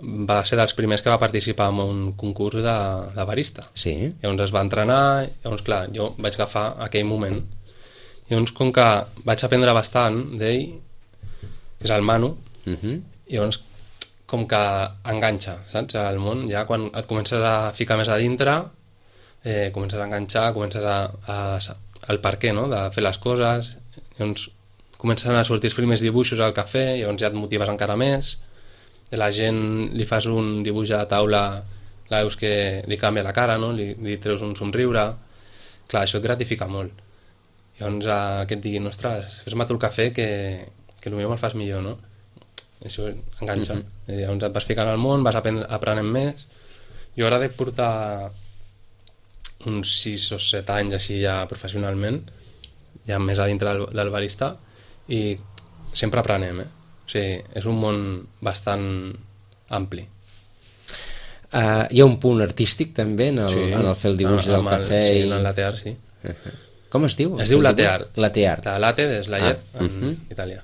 va ser dels primers que va participar en un concurs de, de barista. Sí. Llavors es va entrenar, llavors clar, jo vaig agafar aquell moment. Llavors com que vaig aprendre bastant d'ell, que és el Manu, uh -huh. llavors com que enganxa, saps? Al món, ja quan et comences a ficar més a dintre, eh, comences a enganxar, comences a, a, el per què, no?, de fer les coses, llavors comencen a sortir els primers dibuixos al cafè, llavors ja et motives encara més, la gent li fas un dibuix a la taula, la veus que li canvia la cara, no?, li, li treus un somriure, clar, això et gratifica molt. Llavors eh, que et diguin, ostres, fes-me tu el cafè que, que potser me'l fas millor, no? Això enganxa. Uh -huh. Llavors et vas ficant al món, vas aprenent més. Jo ara dec portar uns sis o set anys així ja professionalment, ja més a dintre del, del barista, i sempre aprenem, eh? O sigui, és un món bastant ampli. Uh, hi ha un punt artístic també en el, sí, en el fer el dibuix del cafè? Sí, i... en el latte art, sí. Uh -huh. Com es diu? Es diu latte art. Latte art. La latte és la llet ah. en uh -huh. italià.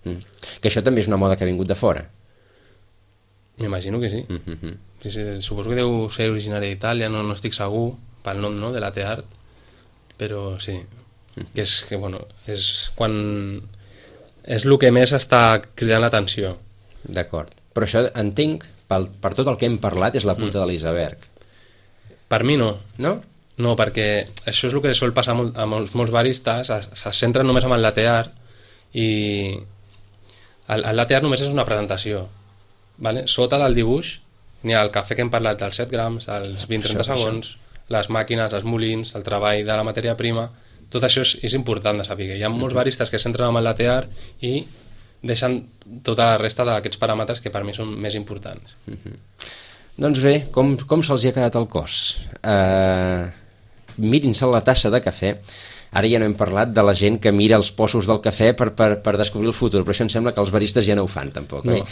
Mm. Que això també és una moda que ha vingut de fora. M'imagino que sí. Uh-huh. sí, sí. Suposo que deu ser originari d'Itàlia, no, no estic segur pel nom, no?, de latte art, però sí, uh-huh. que és que, bueno, és quan és el que més està cridant l'atenció. D'acord. Però això entenc, pel, per tot el que hem parlat, és la punta mm. de l'iceberg. Per mi no. No? No, perquè això és el que sol passar molt, a molts, molts baristes, se, se centren només en el latte art, i el, el latte art només és una presentació, vale? Sota del dibuix n'hi ha el cafè que hem parlat dels set grams, els vint a trenta segons, això. Les màquines, els molins, el treball de la matèria prima, tot això és, és important de saber. Hi ha molts baristes que s'entren amb el latte art i deixen tota la resta d'aquests paràmetres que per mi són més importants. Uh-huh. Doncs bé, com, com se'ls hi ha quedat el cos? Uh, mirin-se la tassa de cafè. Ara ja no hem parlat de la gent que mira els possos del cafè per, per, per descobrir el futur, però això em sembla que els baristes ja no ho fan, tampoc. No, oi?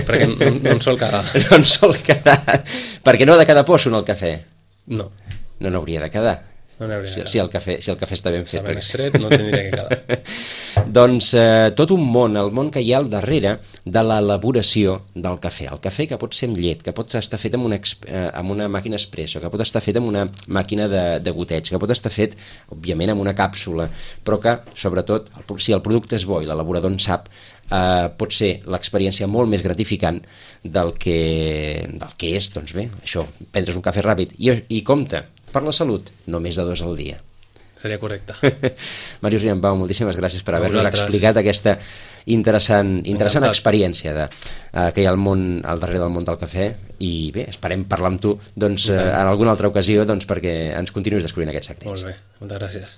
perquè no, no en sol quedar. No en sol quedar. Perquè no ha de quedar posso en el cafè. No. No n'hauria de quedar. No n'hauria de quedar. Si, si, el cafè, si el cafè està ben fet. Està ben estret, no tindria que quedar. Doncs eh, tot un món, el món que hi ha al darrere de l'elaboració del cafè. El cafè que pot ser amb llet, que pot estar fet amb una, eh, amb una màquina expresso, que pot estar fet amb una màquina de, de goteig, que pot estar fet, òbviament, amb una càpsula, però que, sobretot, el, si el producte és bo i l'elaborador en sap, eh, pot ser l'experiència molt més gratificant del que, del que és, doncs bé, això, prendre's un cafè ràpid. I, i compte, per la salut, no més de dos al dia. Seria correcte. Màrius Riambau, moltíssimes gràcies per haver-nos explicat aquesta interessant, interessant experiència de, uh, que hi ha al món, al darrere del món del cafè, i bé, esperem parlar amb tu doncs, uh, en alguna altra ocasió doncs, perquè ens continuïs descobrint aquest secret. Molt bé, moltes gràcies.